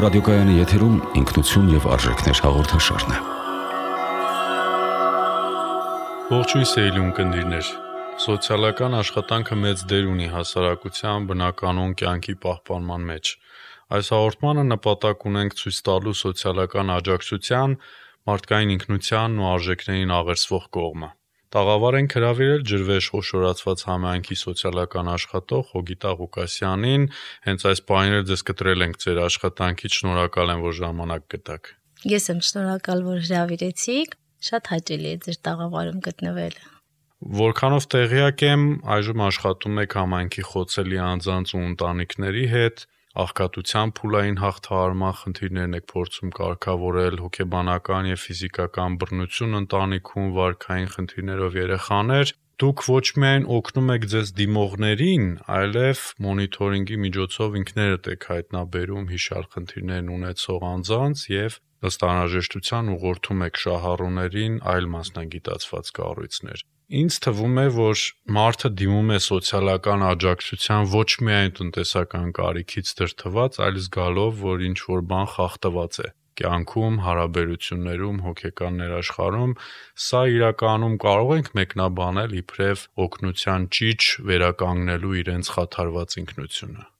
ռադիոկայանի եթերում ինքնություն եւ արժեքներ հաղորդաշարն է։ Ողջույն սիրելի ունկնդիրներ։ Սոցիալական աշխատանքը մեծ դեր ունի հասարակության բնականոն կյանքի պահպանման մեջ։ Այս հաղորդմանը նպատակ ունենք ցույց տալու սոցիալական աջակցության, մարդկային ինքնությանն ու արժեքներին աղերսվող կողմը։ Տաղավար ենք հրավիրել ջրվեժ խոշորացված համայնքի սոցիալական աշխատող Հոգիտա Ղուկասյանին։ Հենց այս պահին ձեզ կտրել ենք ձեր աշխատանքից, շնորհակալ եմ, որ ժամանակ գտաք։ Ես եմ շնորհակալ, որ հրավիրեցիք։ Շատ հաճելի է ձեր տաղավարում գտնվելը։ Որքանով տեղյակ եմ, այժմ աշխատում եք համայնքի խոցելի անձանց ու ընտանիքների հետ, աղքատության փուլային հաղթահարման խնդիրներն եք փորձում կարգավորել, հոգեբանական եւ ֆիզիկական բռնություն ընտանիքում, վարքային խնդիրներով երեխաներ։ Դուք ոչ միայն օգնում եք ձեզ դիմողներին, այլև մոնիթորինգի միջոցով ինքներդ եք հայտնաբերում հիշյալ խնդիրներն ունեցող անձանց եւ ըստ անհրաժեշտության ուղղորդում եք շահառուներին այլ մասնագիտացված կառույցներ։ Ինձ թվում է, որ մարդը դիմում է սոցիալական աջակցության ոչ միայն տնտեսական կարիքից դրդված, այլ զգալով, որ ինչ-որ բան խախտված է կյանքում, հարաբերություններում, հոգեկան ներաշխարհում։ Սա իրականում կարող ենք մեկնաբանել իբրև օգնության ճիչ վերականգնելու իրենց խաթարված ինքնությունը։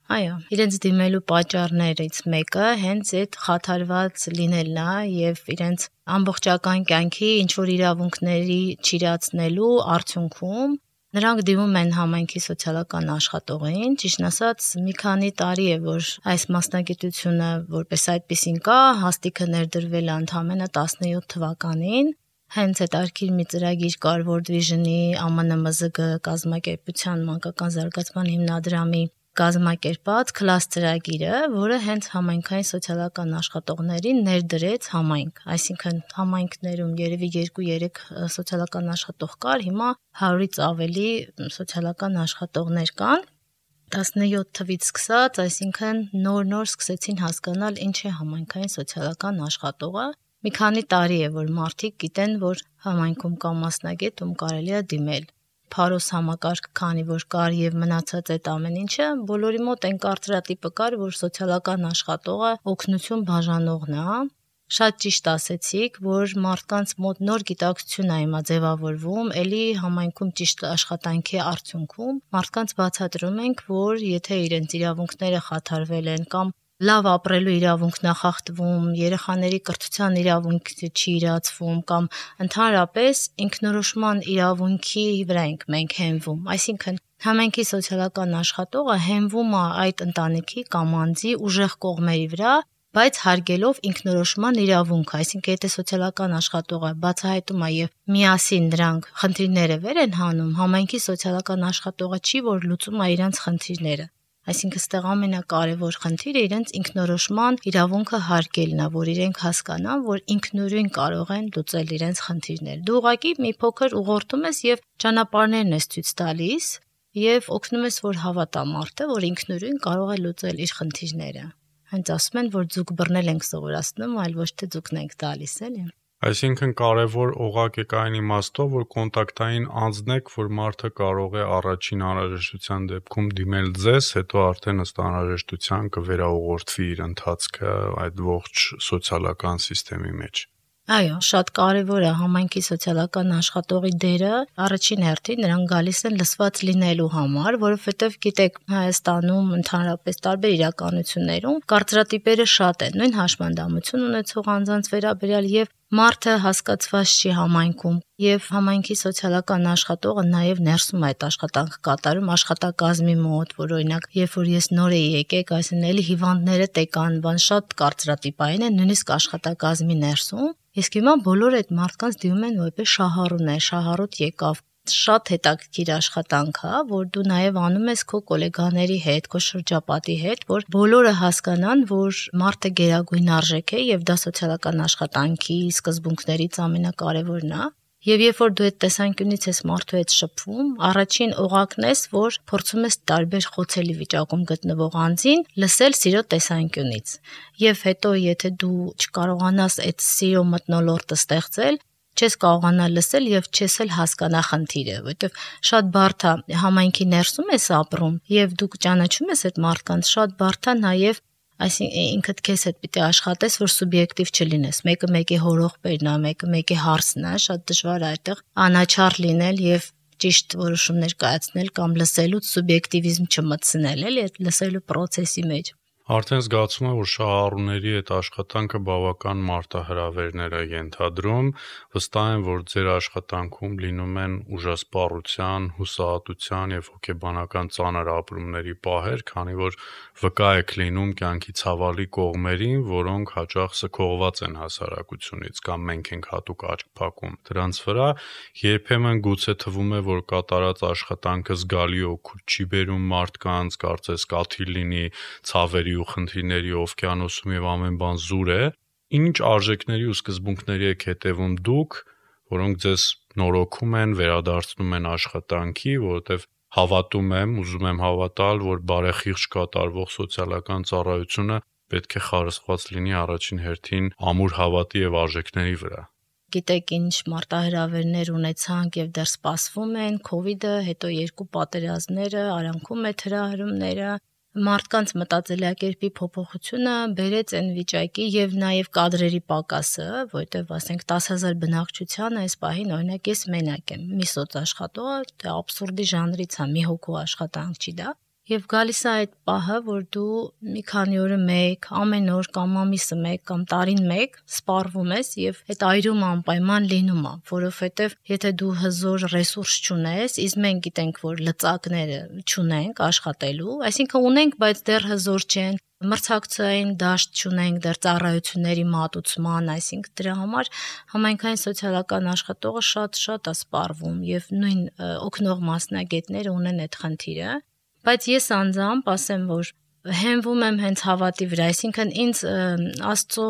Այո, իրենց դիմելու պատճառներից մեկը հենց այդ խաթարված լինելն է եւ իրենց ամբողջական կյանքի ինչ-որ իրավունքների չիրացնելու արդյունքում նրանք դիմում են համայնքի սոցիալական աշխատողին, ճիշտն ասած, մի քանի տարի է, որ այս մասնագիտությունը որպես այդպեսին կա, հաստիքը ներդրվել է ընդամենը 17 թվականին, հենց հետարքիր մի ծրագիր կար World Vision-ի ԱՄՆ-ՄԶԳ կազմակերպության մանկական զարգացման հիմնադրամի կազմակերպած Class ծրագիրը, որը հենց համայնքային սոցիալական աշխատողներին ներդրեց համայնք, այսինքն համայնքներում երևի 2-3 սոցիալական աշխատող կար, հիմա 100-ից ավելի սոցիալական աշխատողներ կան, 17 թվից սկսած, այսինքն նոր սկսեցին հասկանալ ինչ է համայնքային սոցիալական աշխատողը, մի քանի տարի է, որ մարդիկ գիտեն, որ համայնքում կա մասնագետ, ում կարելի է դիմել։ Փարոս համակարգ, քանի որ կար եւ մնացած այդ ամեն ինչը, բոլորի մոտ այն կարծրատիպը կար, որ սոցիալական աշխատողը օգնություն բաժանողն է։ Շատ ճիշտ ասեցիք, որ մարդկանց մոտ նոր գիտակցություն է հիմա ձևավորվում, ելի համայնքում ճիշտ աշխատանքի արդյունքում մարդկանց բացատրում ենք, որ եթե իրենց իրավունքները խաթարվել են կամ լավ ապրելու իրավունքն է խախտվում, երեխաների կրթության իրավունքը չի իրացվում կամ ընդհանրապես ինքնորոշման իրավունքի վրա ենք մենք հենվում, այսինքն համայնքի սոցիալական աշխատողը հենվում է այդ ընտանիքի կամ անձի ուժեղ կողմերի վրա, բայց հարգելով ինքնորոշման իրավունքը, այսինքն եթե սոցիալական աշխատողը բացահայտում է եւ միասին դրանք խնդիրները վեր են հանում, համայնքի սոցիալական աշխատողը չի, որ լուծում է իրենց խնդիրները։ Այսինքն ստեղ ամենակարևոր խնդիրը իրենց ինքնորոշման իրավունքը հարգելն է, որ իրենք հասկանան, որ ինքնուրույն կարող են լուծել իրենց խնդիրները։ Դու ուղղակի մի փոքր ուղղորդում ես եւ ճանապարհներն ես ցույց տալիս եւ օգնում ես, որ հավատա մարդը, որ ինքնուրույն կարող է լուծել իր խնդիրները։ Հենց ասում են, որ ձուկ բռնել ենք սովորացնում, այլ ոչ թե ձուկն ենք տալիս, էլի։ Այսինքն կարևոր օղակ է կային իմաստով, որ կոնտակտային անձն եք, որ մարդը կարող է առաջին անհրաժեշտության դեպքում դիմել ձեզ, հետո արդեն ըստ անհրաժեշտության կվերաուղղորդվի իր ընթացքը այդ ողջ սոցիալական համակարգի մեջ։ Այո, շատ կարևոր է համայնքի սոցիալական աշխատողի դերը, առաջին հերթին նրանք գալիս են լսված լինելու համար, որովհետև գիտեք, Հայաստանում ընդհանրապես տարբեր իրականություններում կարծրատիպերը շատ են, նույն հաշմանդամություն ունեցող անձանց վերաբերյալ եւ մարդը հասկացված չի համայնքում եւ համայնքի սոցիալական աշխատողը նաեւ ներսում այդ աշխատանքը կատարում աշխատակազմի մոտ, որ օրինակ, երբ որ ես նոր էի եկեք, այսինքն էլի հիվանդները տեկան, բան շատ կարծրատիպային են, նույնիսկ աշխատակազմի ներսում։ Իսկ հիմա բոլոր այդ մարդկանց դիմում են որպես շահառուներ, շահառուտ եկավ։ Շատ հետաքրքիր աշխատանք է, որ դու նաև անում ես քո գոլեգաների հետ, քո շրջապատի հետ, որ բոլորը հասկանան, որ մարդը գերագույն արժեք է եւ դա սոցիալական աշխատանքի սկզբունքներից ամենակարևորն է։ Եվ երբ որ դու այդ տեսանկյունից ես մարդու հետ շփվում, առաջին օղակն ես, որ փորձում ես տարբեր խոցելի վիճակում գտնվող անձին լսել սիրո տեսանկյունից։ Եվ հետո եթե դու չկարողանաս այդ սիրո մթնոլորտը ստեղծել, չես կարողանա լսել եւ չես էլ հասկանա խնդիրը, որովհետեւ շատ բարդ է համայնքի ներսում ես ապրում եւ դու ճանաչում ես այդ մարդկանց, շատ բարդ է նաեւ Այսինքն ինքդ քեզ հետ պիտի աշխատես, որ սուբյեկտիվ չլինես։ Մեկը մեկի հորողբերն է, մեկը մեկի հարսն է, շատ դժվար է այդտեղ անաչառ լինել եւ ճիշտ որոշումներ կայացնել կամ լսելուց սուբյեկտիվիզմ չմտցնել, էլի այդ լսելու process-ի մեջ։ Արդեն զգացում եմ, որ շահառուների այդ աշխատանքը բավական մարտահրավերներ է ենթադրում, վստահ եմ, որ ձեր աշխատանքում լինում են ուժասպառության, հուսահատության եւ հոգեբանական ծանր ապրումների պահեր, քանի որ վկա եք լինում կյանքի ցավալի կողմերին, որոնք հաճախ սքողված են հասարակությունից կամ մենք ենք հատուկ աչք փակում դրանց վրա, երբեմն գուցե թվում է, որ կատարած աշխատանքը զգալի օգուտ չի բերում մարդկանց, կարծես կաթիլ լինի ցավերի ու խնդիրների օվկիանոսում եւ ամեն բան զուր է, ինչ արժեքների ու սկզբունքների եք հետևում դուք, որոնք ձեզ նորոգում են, վերադարձնում են աշխատանքի, որովհետեւ հավատում եմ, ուզում եմ հավատալ, որ բարեխիղճ կատարվող սոցիալական ծառայությունը պետք է խարսխված լինի առաջին հերթին ամուր հավատի եւ արժեքների վրա։ Գիտեք ինչ մարտահրավերներ ունեցանք եւ դեռ սպասվում են, COVID-ը, հետո 2 պատերազմները, արանքում այդ հրահրումները, մարդկանց մտածելակերպի փոփոխությունը բերեց այն վիճակի եւ նաեւ կադրերի պակասը, որտեւ ասենք 10,000 բնակչության այս պահին օրինակ ես մենակ եմ, մի սոցաշխատող, դա աբսուրդի ժանրից է, մի հոգու աշխատանք չի դա։ Եվ գալիս է այդ պահը, որ դու մի քանի օրը մեկ, ամեն օր կամ ամիսը մեկ կամ տարին մեկ սպառվում ես եւ այդ այրումը անպայման լինում է, որովհետեւ եթե դու հզոր ռեսուրս չունես, իսկ մենք գիտենք, որ լծակները չունենք աշխատելու, այսինքն ունենք, բայց դեռ հզոր չեն, մրցակցային դաշտ չունենք դեռ ծառայությունների մատուցման, այսինքն դրա համար համայնքային սոցիալական աշխատողը շատ է սպառվում եւ նույն օգնող մասնագետները ունեն այդ խնդիրը։ Բայց ես անձամբ ասեմ, որ հենվում եմ հենց հավատի վրա, այսինքն ինձ Աստծո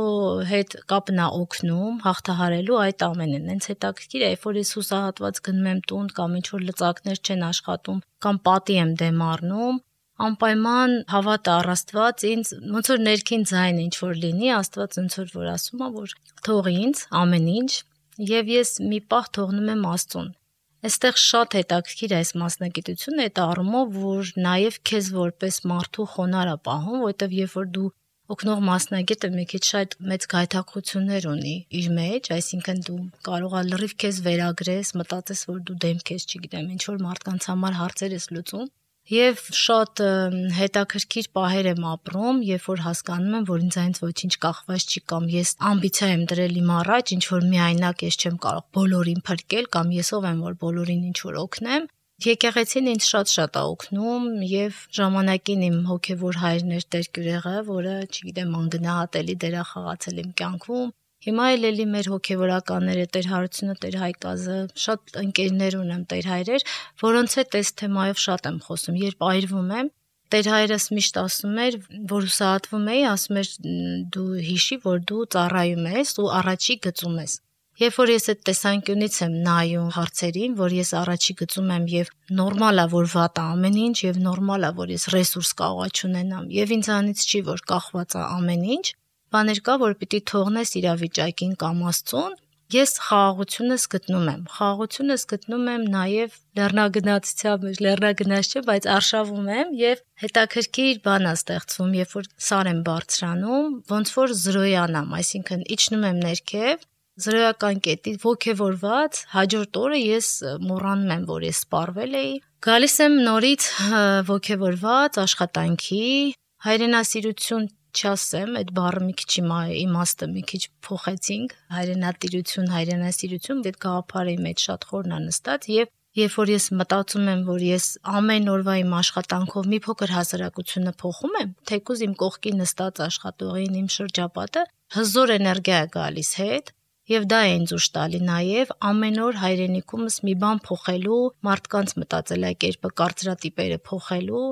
հետ կապն է օգնում հաղթահարելու այդ ամենը։ Հենց հետաքրքիր է, երբ որ ես հուսահատված գնում եմ տուն կամ ինչ որ լծակներ չեն աշխատում կամ պատի եմ դեմ առնում, անպայման հավատը առ Աստված ինձ ոնց որ ներքին ձայն ինչ որ լինի, Աստված ոնց որ ասում է, որ թող ինձ ամեն ինչ եւ ես մի պահ թողնում եմ Աստծուն։ Այստեղ շատ հետաքրքիր է այս մասնագիտությունը այդ առումով, որ նաև քեզ որպես մարդու խոնարհ է պահում, որովհետև երբ որ դու օգնող մասնագետը մի քիչ շատ մեծ գայթակղություններ ունի իր մեջ, այսինքն դու կարող ես լրիվ քեզ վերագրես, մտածես, որ դու դեմ քեզ, չգիտեմ, ինչ որ մարդկանց համար հարցեր ես լուծում, եւ շատ հետաքրքիր պահեր եմ ապրում, երբ որ հասկանում եմ, որ ինձ այնց ոչինչ կախված չի կամ ես ամբիցիա եմ դրել իմ առաջ, ինչ որ միայնակ ես չեմ կարող բոլորին փրկել կամ ես ով եմ, որ բոլորին ինչ որ օգնեմ։ Եկեղեցին ինձ շատ է օգնում եւ ժամանակին իմ հոգեվոր հայրն էր Տեր Կյուրեղը, որը, չգիտեմ, անգնահատելի դեր է խաղացել իմ կյանքում։ Հիմա էլի մեր հոգեվորականները Տեր Հարությունը, Տեր Հայկազը, շատ ընկերներ ունեմ Տեր հայրեր, որոնց հետ այս թեմայով շատ եմ խոսում, երբ այրվում եմ, Տեր հայրս միշտ ասում էր, որ հուսահատվում էի, ասում էր դու հիշի, որ դու ծառայում ես ու առաջի գծում ես։ Երբ որ ես այդ տեսանկյունից եմ նայում հարցերին, որ ես առաջի գծում եմ եւ նորմալ է, որ վատ է ամեն ինչ եւ նորմալ է, որ ես ռեսուրս կարող չունենամ եւ ինձանից չի, որ կախված է ամեն ինչ, բաներ կա, որ պիտի թողնես իրավիճակին կամ Աստծուն, ես խաղաղությունս գտնում եմ։ Խաղաղությունս գտնում եմ նաև լեռնագնացության մեջ, լեռնագնաց չէ, բայց արշավում եմ եւ հետաքրքիր բան է ստեղծվում, երբ որ սար եմ բարձրանում, ոնց որ զրոյանամ, այսինքն իջնում եմ ներքև, զրոյական կետի ոգևորված, հաջորդ օրը ես մոռանում եմ, որ ես սպառվել էի, գալիս եմ նորից ոգևորված աշխատանքի, հայրենասիրություն չասեմ, այդ բառը մի քիչ իմաստը մի քիչ փոխեցինք, հայրենատիրություն, հայրենասիրություն, այդ գաղափարի մեջ շատ խորն է նստած եւ երբ որ ես մտածում եմ, որ ես ամեն օրվա իմ աշխատանքով մի փոքր հասարակությունը փոխում եմ, թեկուզ իմ կողքի նստած աշխատողին իմ շրջապատը հզոր էներգիա է գալիս հետ եւ դա է ինձ ուշ տալի նաեւ ամեն օր հայրենիքումս մի բան փոխելու, մարդկանց մտածելակերպը, կարծրատիպերը փոխելու,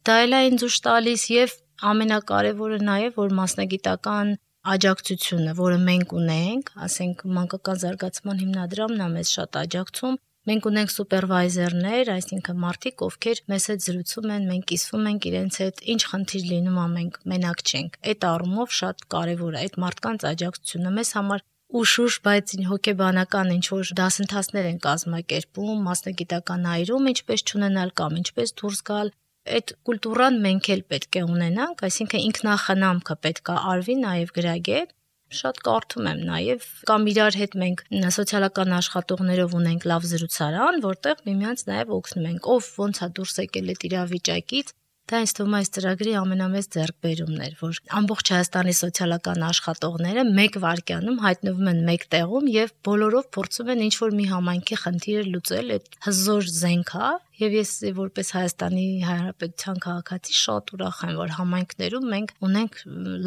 դա էլ է ինձ ուշ տալիս եւ ամենակարևորը նաեւ որ մասնագիտական աջակցությունը, որը մենք ունենք, ասենք մանկական զարգացման հիմնադրամն է մեզ շատ աջակցում, մենք ունենք սուպերվայզերներ, այսինքն մարդիկ, ովքեր մեզ հետ զրուցում են, մենք կիսվում ենք իրենց հետ, ինչ խնդիր լինում է, մենք մենակ չենք։ Այդ առումով շատ կարևոր է այդ մարդկանց աջակցությունը մեզ համար ուշ, բայց հոգեբանական ինչ որ դասընթացներ են կազմակերպում, մասնագիտական այրում, ինչպես չունենալ կամ ինչպես դուրս գալ այդ կուլտուրան մենք էլ պետք է ունենանք, այսինքն ինքնախնամքը պետք է արվի նաև գրագետ։ Շատ կարդում եմ նաև կամ իրար հետ մենք սոցիալական աշխատողներով ունենք լավ զրուցարան, որտեղ միմյանց նաև օգնում ենք, ով ոնց է դուրս եկել այդ իրավիճակից։ Դա ինձ թվում է այս ծրագրի ամենամեծ ձեռքբերումն էր, որ ամբողջ Հայաստանի սոցիալական աշխատողները մեկ վայրկյանում հայտնվում են մեկ տեղում եւ բոլորով փորձում են ինչ-որ մի համայնքի խնդիրը լուծել, այդ հզոր զենք է, եւ ես որպես Հայաստանի Հանրապետության քաղաքացի շատ ուրախ եմ, որ համայնքներում մենք ունենք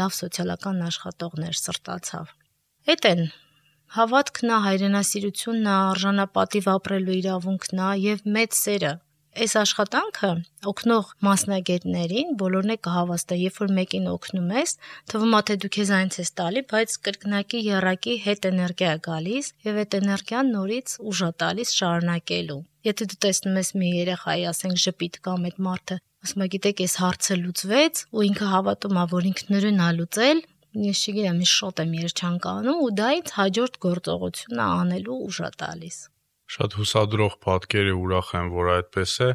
լավ սոցիալական աշխատողներ, սրտացավ։ Էդ են հավատքն է, հայրենասիրությունն է, արժանապատիվ ապրելու իրավունքն է եւ մեծ սերը։ Այս աշխատանքը օգնող մասնագետներին բոլորն է կհավաստա, երբ որ մեկին օգնում ես, թվում է թե դու քեզ այնց ես տալի, բայց կրկնակի երակի հետ էներգիա է գալիս եւ այդ էներգիան նորից ուժ է տալիս շարունակելու։ Եթե դու տեսնում ես մի երեխայի, ասենք ժպիտ կամ այդ մարդը, ասում է գիտեք, այս հարցը լուծվեց ու ինքը հավատում է, որ ինքնուրույն է լուծել, ես չգիտեմ, ես շատ եմ երջանկանում ու դա ինձ հաջորդ գործողությունը անելու ուժ է տալիս։ Շատ հուսադրող պատկեր է, ուրախ եմ, որ այդպես է,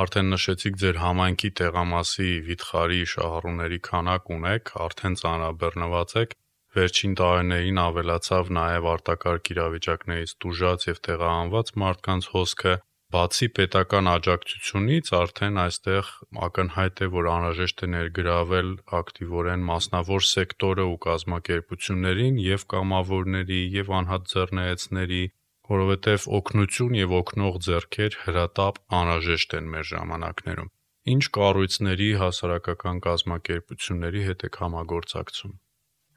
արդեն նշեցիք ձեր համայնքի տեղամասի վիթխարի շահառուների քանակ ունեք, արդեն ծանրաբեռնված եք, վերջին տարիներին ավելացավ նաև արտակարգ իրավիճակներից տուժած եւ տեղահանված մարդկանց հոսքը, բացի պետական աջակցությունից արդեն այստեղ ակնհայտ է, որ անհրաժեշտ է ներգրավել ակտիվորեն մասնավոր սեկտորը ու կազմակերպություններին եւ կամավորների եւ անհատ ձեռնարկողների, որովհետև օգնություն եւ օգնող ձեռքեր հրատապ անհրաժեշտ են մեր ժամանակներում։ Ինչ կառույցների, հասարակական կազմակերպությունների հետ եք համագործակցում։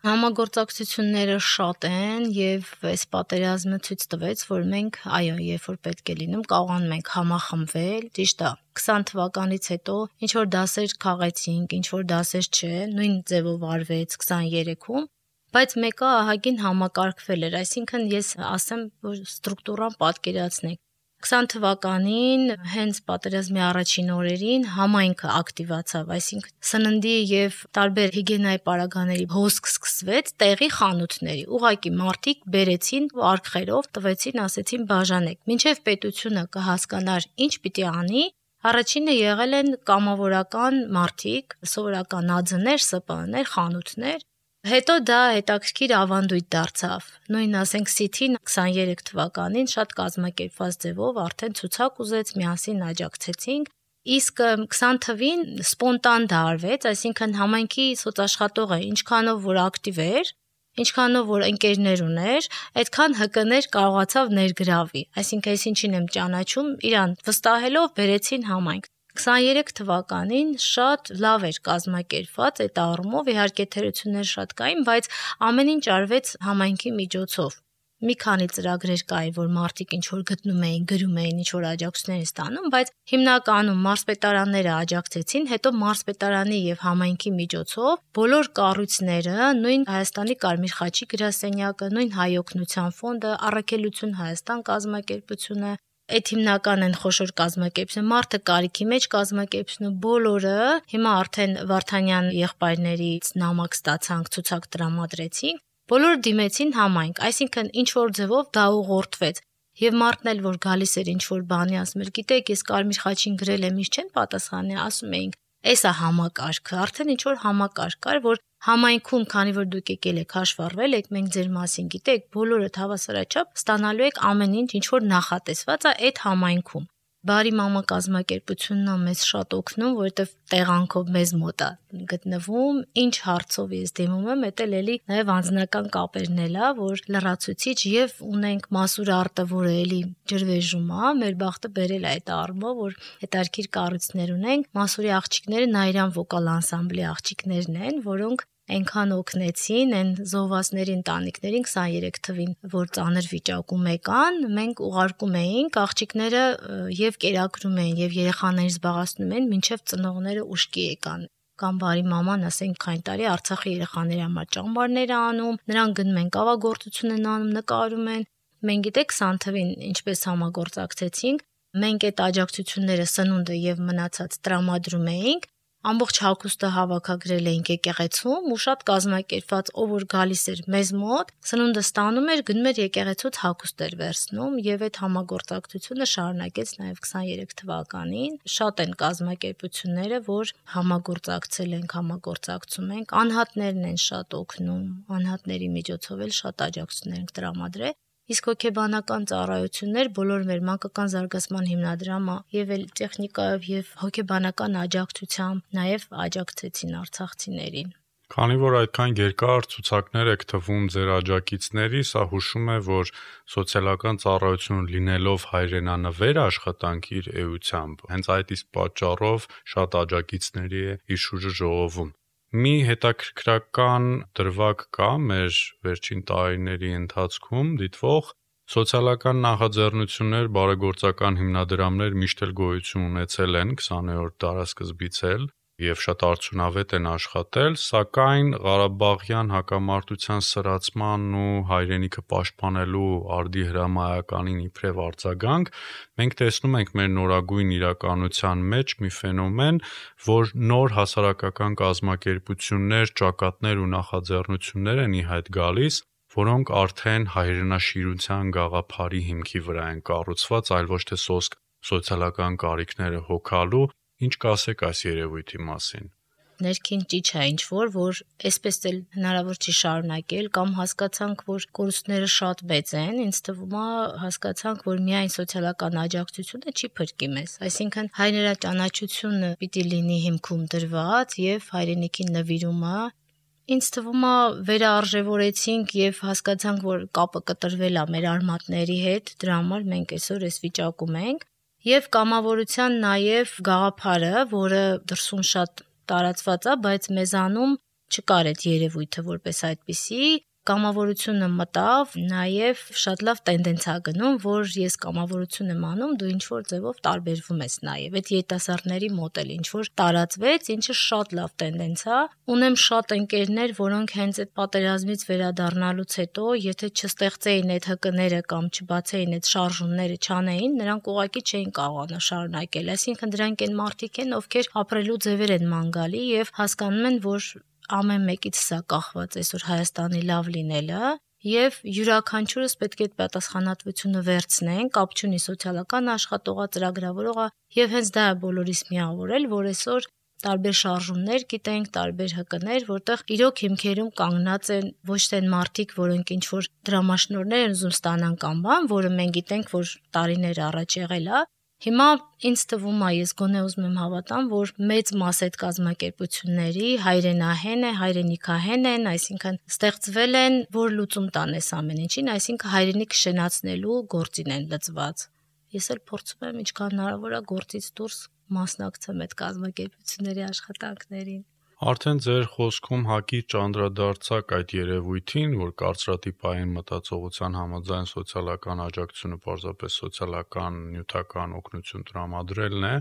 Համագործակցությունները շատ են եւ այս պատերազմը ցույց տվեց, որ մենք, այո, երբ որ պետք է լինում, կարողանում ենք համախմբվել, ճիշտ է։ 20 թվականից հետո ինչ որ դասեր քաղեցինք, ինչ որ դասեր չէ, նույն ձևով արվեց 23-ում, բայց մեկը ահագին համակարգվել էր, այսինքն ես ասեմ, որ ստրուկտուրան պատկերացնեք։ 20 թվականին հենց պատերազմի առաջին օրերին համայնքը ակտիվացավ, այսինքն սննդի եւ տարբեր հիգիենայի պարագաների հոսք սկսվեց տեղի խանութների։ Ուղղակի մարդիկ բերեցին արկղերով, տվեցին, ասեցին բաժանեք։ Մինչև պետությունը կհասկանար ինչ պիտի անի, առաջինը եղել են կամավորական մարդիկ, սովորական ԱՁ-ներ, ՍՊԸ-ներ, խանութներ։ Հետո դա հետաքրքիր ավանդույթ դարձավ։ Նույն ասենք Սիթին 23 թվականին շատ կազմակերպված ձևով արդեն ցուցակ ուզեց, միասին աջակցեցինք։ Իսկ 20 թվին սպոնտան դա արվեց, այսինքն համայնքի սոցաշխատողը ինչքանով որ ակտիվ էր, ինչքանով որ ընկերներ ուներ, այդքան ՀԿ-ներ կարողացավ ներգրավի։ Այսինքն ես ինչին եմ ճանաչում, իրան վստահելով բերեցին համայնք։ 23 թվականին շատ լավ էր կազմակերպված այդ առումով, իհարկե թերություններ շատ կային, բայց ամեն ինչ արվեց համայնքի միջոցով։ Մի քանի ծրագրեր կային, որ մարդիկ ինչ որ գտնում էին, գրում էին, ինչ որ աջակցություններ ստանում, բայց հիմնականում մարզպետարանները աջակցեցին, հետո մարզպետարանի եւ համայնքի միջոցով բոլոր կառույցները, նույն Հայաստանի Կարմիր խաչի գրասենյակը, նույն Հայ օգնության ֆոնդը, Առաքելություն Հայաստան կազմակերպությունը, այդ հիմնական են խոշոր կազմակերպությունը, մարդը կարիքի մեջ կազմակերպությունը, բոլորը հիմա արդեն Վարդանյան եղբայրներից նամակ ստացանք, ցուցակ տրամադրեցինք, բոլորը դիմեցին համայնք, այսինքն ինչ որ ձևով դա ուղղորդվեց։ Եվ մարդն էլ որ գալիս էր ինչ որ բանի, ասում էր, գիտեք, ես Կարմիր խաչին գրել եմ, ինչ չեն պատասխանի, ասում էինք, էս է համակարգը, արդեն ինչ որ համակարգ կար, որ համայնքում, քանի որ դուք եկել եք հաշվառվել եք, մենք ձեր մասին գիտեք, բոլորը հավասարաչափ ստանալու եք ամեն ինչ որ նախատեսված է այդ համայնքում։ Բարի մամա կազմակերպությունն է մեզ շատ օգնում, որովհետև տեղանքով մեզ մոտ է գտնվում, ինչ հարցով ես դիմում եմ, դա էլի նաև անձնական կապերն էլ է, որ լրացուցիչ եւ ունենք Մասուր արտը, որը էլի ջրվեժում է, մեր բախտը բերել է այդ առումով, որ հետարքիր կառույցներ ունենք, Մասուրի աղջիկները Նայիրան վոկալ անսամբլի աղջիկներն են, որոնք այնքան օգնեցին այն զոհվածների ընտանիքներին 23 թվին, որ ծանր վիճակում եկան, մենք ուղարկում էինք, աղջիկները եւ կերակրում էին եւ երեխաներին զբաղացնում էին, մինչեւ ծնողները ուշքի եկան։ Կամ բարի մաման, ասենք, քանի տարի Արցախի երեխաների համար ճամբարներ անում, նրանք գնում են կավագործություն են անում, նկարում են։ Մենք գիտեք 20 թվին ինչպես համագործակցեցինք, մենք այդ աջակցությունները սնունդը եւ մնացած տրամադրում էինք, ամբողջ հագուստը հավաքագրել էինք եկեղեցում ու շատ կազմակերպված ով որ գալիս էր մեզ մոտ, սնունդը ստանում էր, գնում էր եկեղեցուց հագուստ էր վերցնում եւ այդ համագործակցությունը շարունակեց նաեւ 23 թվականին։ Շատ են կազմակերպությունները, որ համագործակցել ենք, համագործակցում ենք, անհատներն են շատ օգնում, անհատների միջոցով էլ շատ աջակցություններ ենք տրամադրել։ Իսկ հոգեբանական ծառայություններ բոլոր մեր մանկական զարգացման հիմնադրամը եւ էլ տեխնիկայով եւ հոգեբանական աջակցությամբ նաեւ աջակցեցին արցախցիներին։ Քանի որ այդքան երկար ցուցակներ եք թվում ձեր աջակիցների, սա հուշում է, որ սոցիալական ծառայություն լինելով հայրենանվեր աշխատանք իր էությամբ, հենց այդ իսկ պատճառով շատ աջակիցների է իր շուրջը ժողովում։ Մի հետաքրքրական դրվագ կա մեր վերջին տարիների ընթացքում դիտվող սոցիալական նախաձեռնություններ, բարեգործական հիմնադրամներ միշտ էլ գոյություն ունեցել են 20-րդ դարասկզբից էլ եւ շատ արդյունավետ են աշխատել, սակայն Ղարաբաղյան հակամարտության սրացման ու հայրենիքը պաշտպանելու արդի հրամայականին իբրև արձագանք մենք տեսնում ենք մեր նորագույն իրականության մեջ մի ֆենոմեն, որ նոր հասարակական կազմակերպություններ, ճակատներ ու նախաձեռնություններ են ի հայտ գալիս, որոնք արդեն հայրենաշիրության գաղափարի հիմքի վրա են կառուցված, այլ ոչ թե սոսկ սոցիալական կարիքները հոգալու։ Ինչ կասեք այս երևույթի մասին։ Ներքին ճիչ է ինչ-որ, որ այսպես էլ հնարավոր չի շարունակել կամ հասկացանք, որ կորուստները շատ մեծ են, ինձ թվում է հասկացանք, որ միայն սոցիալական աջակցությունը չի փրկի մեզ, այսինքն հայրենաճանաչությունը պիտի լինի հիմքում դրված եւ հայրենիքին նվիրումը։ Ինձ թվում է վերարժևորեցինք եւ հասկացանք, որ կապը կտրվել է մեր արմատների հետ, դրա համար մենք այսօր այս վիճակում ենք եւ կամավորության նաեւ գաղափարը, որը դրսում շատ տարածված է, բայց մեզանում չկար այդ երևույթը որպես այդպիսի, կամավորությունը մտավ, նաև շատ լավ տենդենս է գնում, որ ես կամավորություն եմ անում, դու ինչ-որ ձևով տարբերվում ես նաև։ Այդ երիտասարդների մոտ էլ ինչ-որ տարածվեց, ինչը շատ լավ տենդենս է։ Ունեմ շատ ընկերներ, որոնք հենց այդ պատերազմից վերադառնալուց հետո, եթե չստեղծեին այդ ՀԿ-ները կամ չբացեին այդ շարժումները, չանեին, նրանք ուղղակի չէին կարողանա շարունակել։ Այսինքն դրանք այն մարդիկ են, ովքեր ապրելու ձևեր են ման գալի եւ հասկանում են, որ ամեն մեկից սա կախված այսօր Հայաստանի լավ լինելը եւ յուրաքանչյուրս պետք է այդ պատասխանատվությունը վերցնենք, կապ չունի սոցիալական աշխատողա, ծրագրավորողա եւ հենց դա է բոլորիս միավորել, որ այսօր տարբեր շարժումներ գիտենք, տարբեր ՀԿ-ներ, որտեղ իրոք հիմքերում կանգնած են ոչ թե մարդիկ, որոնք ինչ որ դրամաշնորհներ են ուզում ստանան կամ բան, որը մենք գիտենք, որ տարիներ առաջ եղել է։ Հիմա ինձ թվում է, ես գոնե ուզում եմ հավատամ, որ մեծ մաս այդ կազմակերպությունների հայրենահեն է, հայրենիքահեն են, այսինքն ստեղծվել են, որ լուծում տան այս ամեն ինչին, այսինքն հայրենիք շենացնելու գործին են լծված։ Ես էլ փորձում եմ ինչքան հնարավոր է գործից դուրս մասնակցեմ այդ կազմակերպությունների աշխատանքներին։ Արդեն ձեր խոսքում հակիրճ անդրադարձակ այդ երևույթին, որ կարծրատիպային մտածողության համաձայն սոցիալական աջակցությունը պարզապես սոցիալական նյութական օգնություն տրամադրելն է,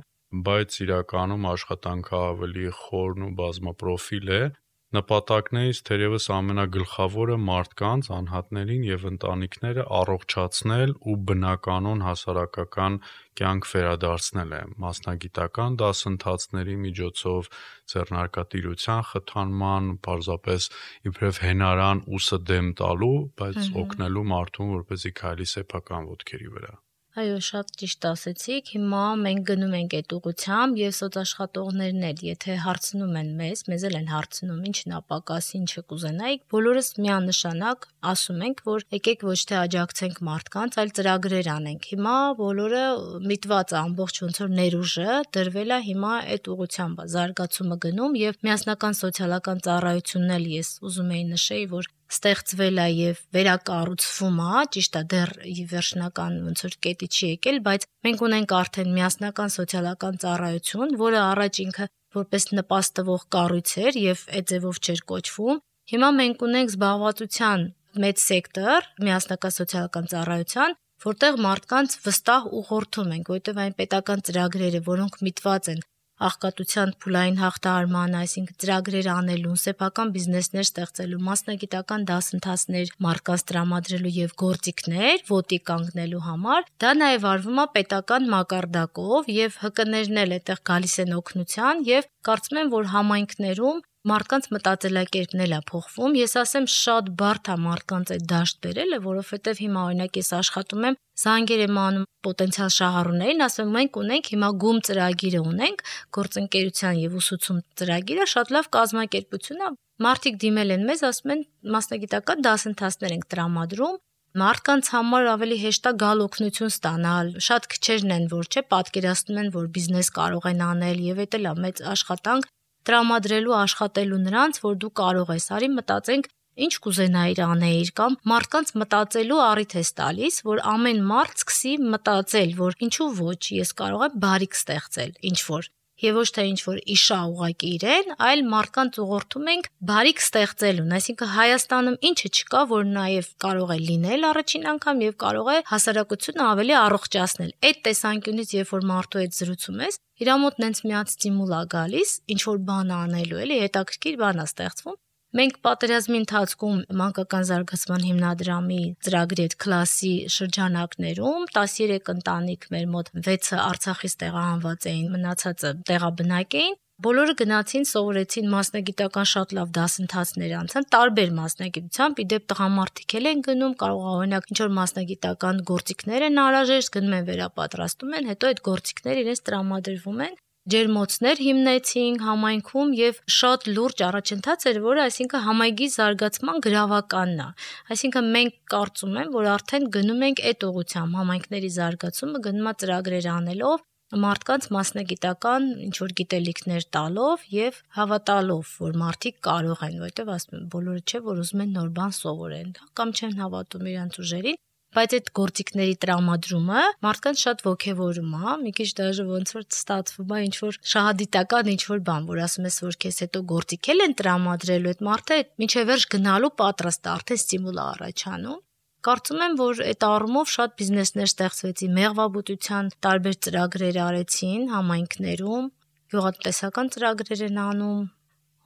բայց իրականում աշխատանքը ավելի խորն ու բազմապրոֆիլ է։ Նպատակներից թերևս ամենագլխավորը մարդկանց, անհատներին եւ ընտանիքները առողջացնել ու բնականon հասարակական կյանք վերադարձնել է մասնագիտական դասընթացների միջոցով, ձեռնարկատիրության խթանման, պարզապես իբրև հենարան ուսը դեմ տալու, բայց օգնելու մարդուն, որպեսզի քայլի սեփական ոտքերի վրա։ Այո, շատ ճիշտ ասեցիք։ Հիմա մենք գնում ենք այդ ուղղությամբ եւ սոցաշխատողներն էլ, եթե հարցնում են մեզ էլ են հարցնում, ինչն է պակաս, ինչը կուզենայիք, բոլորս միանշանակ ասում ենք, որ եկեք ոչ թե աջակցենք մարդկանց, այլ ծրագրեր անենք։ Հիմա բոլորը միտված է ամբողջ ոնց որ ներուժը դրվել է հիմա այդ ուղղությամբ զարգացումը գնում եւ միասնական սոցիալական ծառայությունն էլ ես ուզում եի նշեի, որ ստեղծվել է եւ վերակառուցվում է, ճիշտ է, դեռ վերջնական ոնց որ կետի չի եկել, բայց մենք ունենք արդեն միասնական սոցիալական ծառայություն, որը առաջ ինքը որպես նպաստվող կառույց էր եւ այդ ձևով չէր կոչվում։ Հիմա մենք ունենք զբաղվածության մեծ սեկտոր միասնական սոցիալական ծառայության, որտեղ մարդկանց վստահ ուղղորդում ենք, որտեղ այն պետական ծրագրերը, որոնք միտված են աղքատության փուլային հաղթահարման, այսինքն ծրագրեր անելուն, սեփական բիզնեսներ ստեղծելու, մասնագիտական դասընթացներ մարդկանց տրամադրելու եւ գործիքներ ոտի կանգնելու համար, դա նաեւ արվում է պետական մակարդակով եւ ՀԿ-ներն էլ այդտեղ գալիս են օգնության եւ կարծում եմ, որ համայնքներում մարդկանց մտածելակերպն էլ է փոխվում։ Ես ասեմ շատ բարդ է մարդկանց այդ դաշտ բերելը, որովհետև հիմա օրինակ ես աշխատում եմ, զանգեր եմ անում պոտենցիալ շահառուներին, ասում մենք ունենք հիմա գում ծրագիրը ունենք, գործընկերության եւ ուսուցում ծրագիրը շատ լավ կազմակերպություն է։ Մարդիկ դիմել են մեզ, ասում են մասնագիտական դասընթացներ ենք տրամադրում, մարդկանց համար ավելի հեշտ է գալ օգնություն ստանալ։ Շատ քչերն են, որ չէ, պատկերացնում են, որ բիզնես կարող են անել եւ դա էլ է մեծ աշխատանք տրամադրելու աշխատելու նրանց, որ դու կարող ես, արի մտածենք, ինչ կուզենայիր անեիր կամ մարդկանց մտածելու առիթ ես տալիս, որ ամեն մարդ սկսի մտածել, որ ինչու ոչ, ես կարող եմ բարիք ստեղծել, ինչ որ եւ ոչ թե ինչ որ իշա ուղակի իրեն, այլ մարդկանց ուղղորդում ենք բարիք ստեղծելուն, այսինքն Հայաստանում ինչը չկա, որ նաեւ կարող է լինել առաջին անգամ եւ կարող է հասարակությունը ավելի առողջացնել։ Այդ տեսանկյունից, երբ որ մարդու հետ զրուցում ես, իր մոտ նենց մի հատ ստիմուլ է գալիս, ինչ որ բան անելու, էլի հետաքրքիր բան է ստեղծվում։ Մենք պատերազմի ընթացքում մանկական զարգացման հիմնադրամի ծրագրի այդ կլասի շրջանակներում 13 ընտանիք մեր մոտ 6-ը Արցախից տեղահանված էին, մնացածը տեղաբնակ էին։ Բոլորը գնացին, սովորեցին մասնագիտական շատ լավ դասընթացներ անցան, տարբեր մասնագիտությամբ, իդեպ տղամարդիկ էլ են գնում, կարող է օրինակ ինչ որ մասնագիտական գործիքներ են անհրաժեշտ, գնում են վերապատրաստում են, հետո այդ գործիքները իրենց տրամադրվում են։ Ջերմոցներ հիմնեցինք համայնքում եւ շատ լուրջ առաջընթաց էր, որը այսինքն համայնքի զարգացման գրավականն է։ Այսինքն մենք կարծում եմ, որ արդեն գնում ենք այդ ուղղությամբ, համայնքների զարգացումը գնում է ծրագրեր անելով, մարդկանց մասնագիտական ինչ որ գիտելիքներ տալով եւ հավատալով, որ մարդիկ կարող են, որովհետեւ ասում եմ, բոլորը չէ, որ ուզում են նոր բան սովորեն, կամ չեն հավատում իրանց ուժերին։ Բայց այդ գործիքների տրամադրումը մարդկանց շատ ոգևորում է, մի քիչ դաժե ոնց որ ստացվում է ինչ որ շահադիտական ինչ որ բան, որ ասում ես, որ քեզ հետո գործիք են տրամադրելու, այդ մարդը մինչև վերջ գնալու պատրաստ է, արդեն ստիմուլ է առաջանում։ Կարծում եմ, որ այդ առումով շատ բիզնեսներ ստեղծվեցին, մեղվաբուծության տարբեր ծրագրեր արեցին համայնքներում, գյուղատնտեսական ծրագրեր են անում։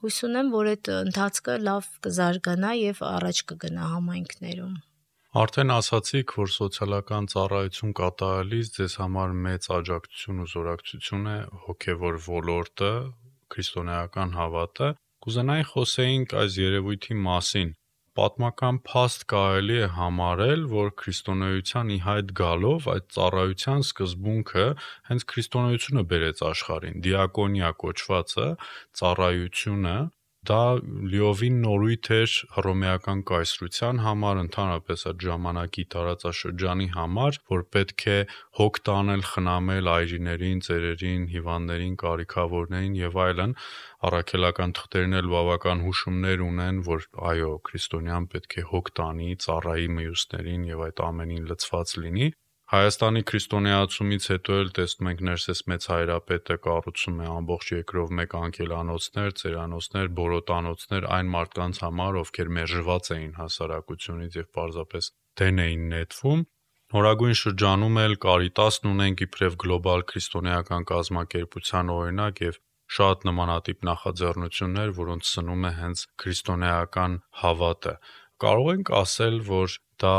Հույս ունեմ, որ այդ ընթացքը լավ կզարգանա եւ առաջ կգնա համայնքներում։ Արդեն ասացիք, որ սոցիալական ծառայություն կատարելիս ձեզ համար մեծ աջակցություն ու զորակցություն է հոգևոր ոլորտը, քրիստոնեական հավատը։ Կուզենայի խոսեինք այս երևույթի մասին։ Պատմական փաստ կարելի է համարել, որ քրիստոնեության ի հայտ գալով այդ ծառայության սկզբունքը հենց քրիստոնեությունը բերեց աշխարհին։ Դիակոնիա կոչվածը, ծառայությունը դա լիովին նորույթ էր հռոմեական կայսրության համար, ընդհանրապես այդ ժամանակի տարածաշրջանի համար, որ պետք է հոգ տանել, խնամել այրիներին, ծերերին, հիվանդներին, կարիքավորներին եւ այլն։ Առաքելական թղթերն էլ բավական հուշումներ ունեն, որ այո, քրիստոնյան պետք է հոգ տանի, ծառայի մյուսներին եւ այդ ամենին լցված լինի։ Հայաստանի քրիստոնեացումից հետո էլ տեսնում ենք Ներսես Մեծ Հայրապետը կառուցում է ամբողջ երկրով մեկ անկելանոցներ, ծերանոցներ, բորոտանոցներ այն մարդկանց համար, ովքեր մերժված էին հասարակությունից եւ պարզապես դեն էին նետվում։ Նորագույն շրջանում էլ Կարիտասն ունենք իբրև գլոբալ քրիստոնեական կազմակերպության օրինակ եւ շատ նմանատիպ նախաձեռնություններ, որոնց սնում է հենց քրիստոնեական հավատը։ Կարող ենք ասել, որ դա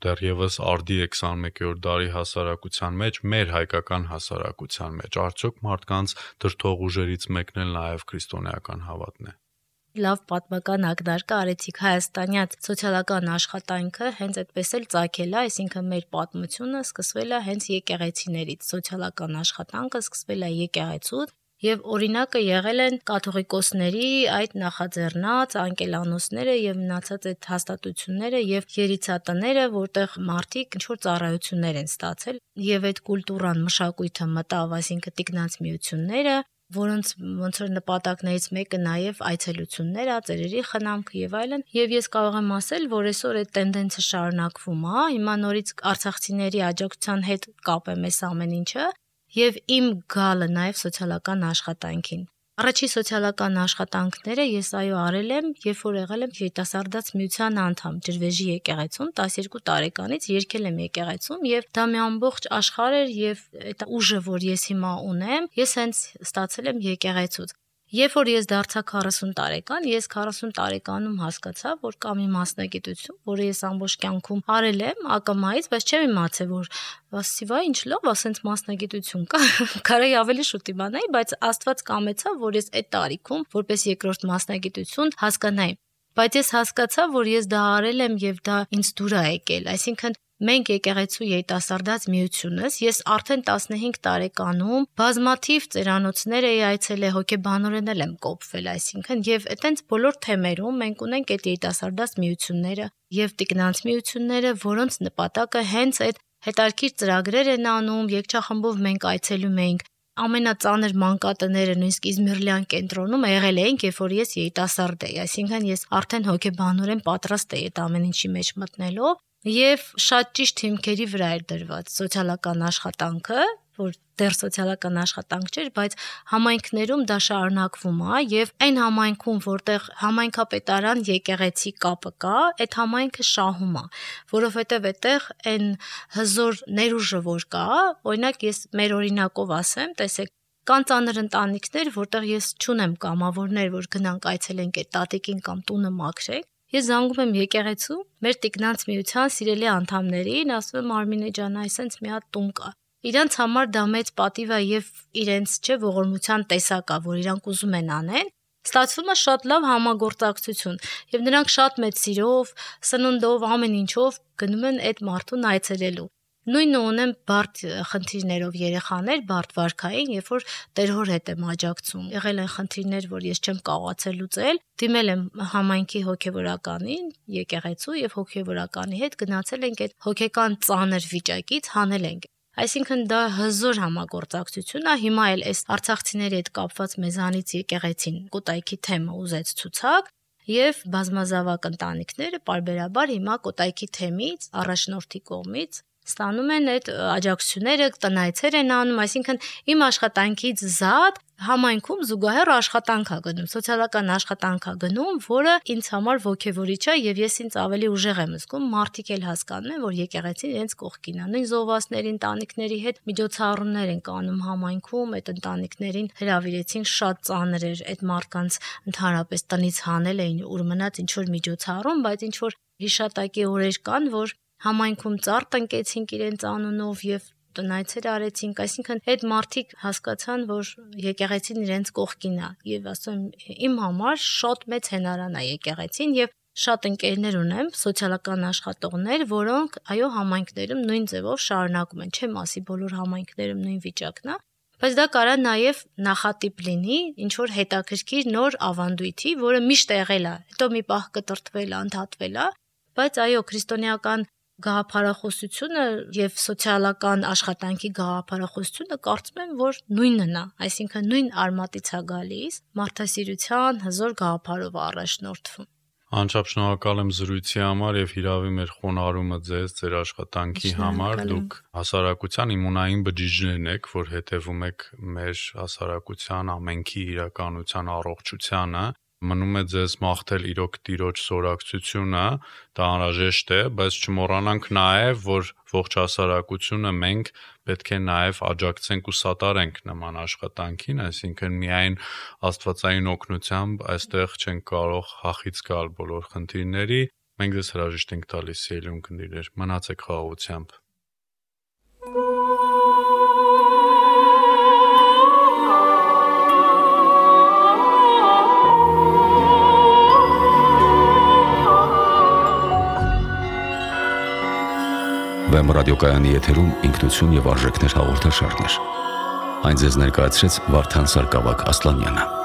դեռևս արդի է 21-րդ դարի հասարակության մեջ, մեր հայկական հասարակության մեջ, արդյոք մարդկանց դրդող ուժերից մեկն էլ նաև քրիստոնեական հավատն է։ Լավ պատմական ակնարկը արեցիք հայաստանյաց սոցիալական աշխատանքը հենց այդպես էլ ծագել է, այսինքն մեր պատմությունը սկսվել է հենց եկեղեցիներից, սոցիալական աշխատանքը սկսվել է եկեղեցուց եւ օրինակը եղել են կաթողիկոսների այդ նախաձեռնած անկելանոցները եւ մնացած այդ հաստատությունները եւ երիցատները, որտեղ մարդիկ ինչ որ ծառայություններ են ստացել եւ այդ կուլտուրան, մշակույթը մտավ, այսինքն տիկնանց միությունները, որոնց ոնց որ նպատակներից մեկը նաեւ այցելություններ է, ծերերի խնամքը եւ այլն, եւ ես կարող եմ ասել, որ այսօր այդ տենդենսը շարունակվում է, հիմա նորից արցախցիների աջակցության հետ կապեմ այս ամեն ինչը եւ իմ գալը նաեւ սոցիալական աշխատանքին։ Առաջի սոցիալական աշխատանքները ես արել եմ, երբ որ եղել եմ երիտասարդաց միության անդամ ջրվեժի եկեղեցում 12 տարեկանից երգել եմ եկեղեցում եւ դա մի ամբողջ աշխարհ էր եւ այդ ուժը, որ ես հիմա ունեմ, ես հենց ստացել եմ եկեղեցուց։ Երբ որ ես դարձա 40 տարեկան, ես 40 տարեկանում հասկացա, որ կա մի մասնագիտություն, որը ես ամբողջ կյանքում արել եմ ակամայից, բայց չեմ իմացել, որ ասիվա ինչ լավ, ասենց մասնագիտություն կա, կարելի ավելի շուտ իմանայի, բայց Աստված կամեցավ, որ ես այդ տարիքում, որպես երկրորդ մասնագիտություն հասկանայի։ Բայց ես հասկացա, որ ես դա արել եմ եւ դա ինձ դուր է եկել, այսինքն մենք եկեղեցու երիտասարդաց միությունս ես արդեն 15 տարեկանում բազմաթիվ ծերանոցներ էի այցելել, հոգեբանորեն եմ կոփվել, այսինքն եւ այտենց բոլոր թեմերում մենք ունենք այդ երիտասարդաց միությունները եւ տիկնանց միությունները, որոնց նպատակը հենց այդ հետարքիր ծրագրեր են անում, եկչախմբով մենք այցելում էինք ամենածանր մանկատները, նույնիսկ Իզմիրլյան կենտրոնում եղել էինք, երբ որ ես երիտասարդ էի, այսինքն ես արդեն հոգեբանորեն պատրաստ էի այդ ամեն ինչի մեջ մտնելով եւ շատ ճիշտ հիմքերի վրա էր դրված սոցիալական աշխատանքը, որ դեռ սոցիալական աշխատանք չէր, բայց համայնքներում դա շարունակվում է եւ այն համայնքում, որտեղ համայնքապետարան եկեղեցի կապը կա, այդ համայնքը շահում է, որովհետեւ այդտեղ այն հզոր ներուժը որ կա, օրինակ ես մեր օրինակով ասեմ, տեսեք կան ծանր ընտանիքներ, որտեղ ես չունեմ կամավորներ, որ գնանք այցելենք այդ տատիկին կամ տունը մաքրենք։ Ես զանգում եմ եկեղեցու, մեր տիկնանց միության սիրելի անդամներին, ասում եմ Արմինե ջան, այսենց մի հատ տուն կա։ Իրանց համար դա մեծ պատիվ է եւ իրենց ողորմության տեսակ է, որ իրանք ուզում են անեն։ Ստացվում է շատ լավ համագործակցություն եւ նրանք շատ մեծ սիրով, սննդով, ամեն ինչով գնում են այդ մարդուն այցելելու։ Նույնը ունեմ բարդ խնդիրներով երեխաներ, բարդ վարքային, երբ որ տերհոր հետ եմ աջակցում։ Եղել են խնդիրներ, որ ես չեմ կարողացել լուծել, դիմել եմ համայնքի հոգևորականին, եկեղեցու եւ հոգևորականի հետ գնացել ենք այդ հոգեկան ծանր վիճակից հանել ենք։ Այսինքն դա հզոր համագործակցություն է, հիմա էլ այս արցախցիների հետ կապված մեզանից եկեղեցին Կոտայքի թեմը ուզեց ցուցակ եւ բազմազավակ ընտանիքները պարբերաբար հիմա Կոտայքի թեմից առաջնորդի կողմից ստանում են այդ աջակցությունները, տնայցեր են անում, այսինքն իմ աշխատանքից զատ համայնքում զուգահեռ աշխատանք է գնում, սոցիալական աշխատանք է գնում, որը ինձ համար ոգևորիչ է եւ ես ինձ ավելի ուժեղ եմ զգում, մարդիկ էլ հասկանում են, որ եկեղեցին իրենց կողքին է, նույն զոհվածների ընտանիքների հետ միջոցառումներ են կանում համայնքում, այդ ընտանիքներին հրավիրեցին շատ ծանր էր այդ մարդկանց ընդհանրապես տնից հանել էին ուր մնաց ինչ որ միջոցառում, բայց ինչ որ հիշատակի օրեր կան, որ համայնքում ծառ տնկեցինք իրենց անունով եւ տնայցեր արեցինք, այսինքն այդ մարդիկ հասկացան, որ եկեղեցին իրենց կողքին է եւ ասում իմ համար շատ մեծ հենարան է եկեղեցին եւ շատ ընկերներ ունեմ, սոցիալական աշխատողներ, որոնք այո համայնքներում նույն ձևով շարունակում են, չեմ ասի բոլոր համայնքներում նույն վիճակն է, բայց դա կարա նաեւ նախատիպ լինի ինչ որ հետաքրքիր նոր ավանդույթի, որը միշտ եղել է, հետո մի պահ կտրտվել, անդհատվել է, բայց այո քրիստոնեական գաղափարախոսությունը եւ սոցիալական աշխատանքի գաղափարախոսությունը կարծում եմ, որ նույնն է, այսինքն նույն արմատից է գալիս, մարդասիրության հզոր գաղափարով առաջնորդվում։ Անչափ շնորհակալ եմ զրույցի համար եւ հիրավի մեր խոնարհումը ձեր աշխատանքի համար։ Դուք հասարակության իմունային բջիջներն եք, որ հետևում եք մեր հասարակության ամենքի իրականության առողջությանը։ Մնում է ձեզ մաղթել իրոք Տիրոջ սորակցությունը, դա անհրաժեշտ է, բայց չմոռանանք նաև, որ ողջ հասարակությունը մենք պետք է նաև աջակցենք ու սատարենք նման աշխատանքին, այսինքն միայն աստվածային օգնությամբ այստեղ չենք կարող հախից գալ բոլոր խնդիրների, մենք ձեզ հրաժեշտ ենք տալիս սիրելի ունկնդիրներ, մնացեք խաղաղությամբ։ Վեմ ռադիոկայանի եթերում ինքնություն եւ արժեքներ հաղորդաշարներ։ Այն ձեզ ներկայացրեց Վարդան Սարգսակ Ասլանյանը։